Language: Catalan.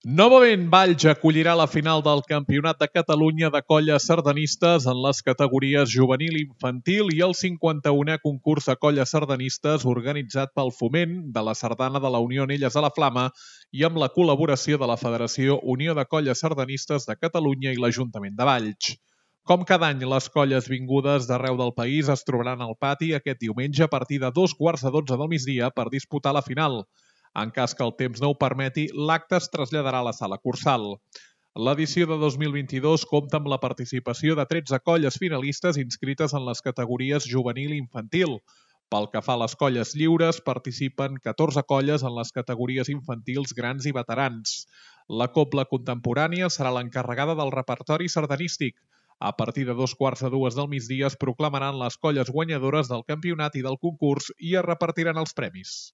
Novament, Valls acollirà la final del Campionat de Catalunya de colles sardanistes en les categories juvenil i infantil i el 51è concurs de colles sardanistes organitzat pel Foment de la Sardana de la Unió Anelles a la Flama i amb la col·laboració de la Federació Unió de Colles Sardanistes de Catalunya i l'Ajuntament de Valls. Com cada any, les colles vingudes d'arreu del país es trobaran al pati aquest diumenge a partir de 2:15 del migdia per disputar la final. En cas que el temps no ho permeti, l'acte es traslladarà a la sala Cursal. L'edició de 2022 compta amb la participació de 13 colles finalistes inscrites en les categories juvenil i infantil. Pel que fa a les colles lliures, participen 14 colles en les categories infantils, grans i veterans. La cobla contemporània serà l'encarregada del repertori sardanístic. A partir de 2:15 del migdia es proclamaran les colles guanyadores del campionat i del concurs i es repartiran els premis.